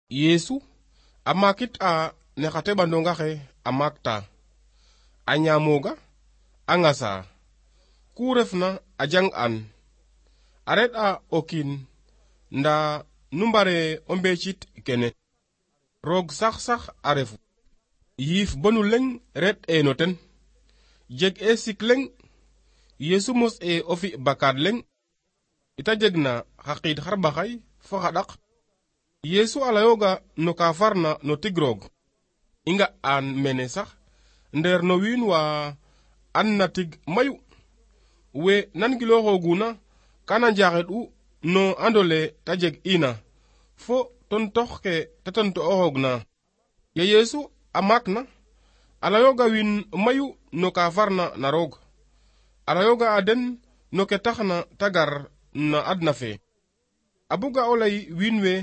Yesu a makit a ne xa teɓandonga xe a makta a ñamoga a ŋasa ku refna a jang an a red a o kiin nda nu mbare o mbecit kene roog sax a refu yiif bonu leŋ red eno ten jeg e sik leŋ Yesu mos e o fi bakad leŋ ita jeg na xa qiid xarɓaxay fo xa ɗaq Yesu a layoga no ka farna no tig roog i nga an mene sax nder no wiin wa an na tig mayu we nan giloxoguna kana njaxeɗ u no andole te jeg ina fo tontox ke te tonto oxoog na ye Yesu a maak na a layoga wiin mayu no ka farna na roog a layoga a den no ke taxna te gar na adna fe a buga o ley wiin we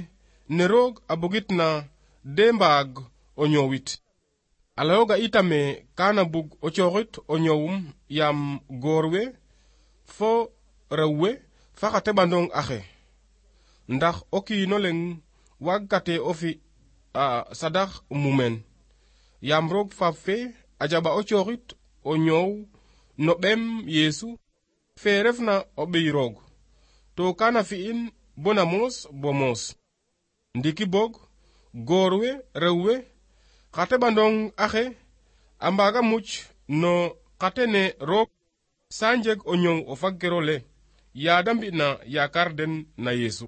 ne roog a bugit na de mbaag o ñoowit a layoga itame kana bug o cooxit o ñoowum yaam goor we fo rew we fa xa teɓandong axe ndax o kiino leŋ waag kate o fi a sadax mumeen yaam roog faaf fe a jaɓa o cooxit o ñoow no ɓeem Yesu fe refna o ɓiy roog to kana fi'in bona moos bo moos ndiki boog goor we rew we xa teɓandong axe a mbaaga muc no xate ne roog sa njeg o ñoow o fag kero le yaada mbi'na yaakar den na Yesu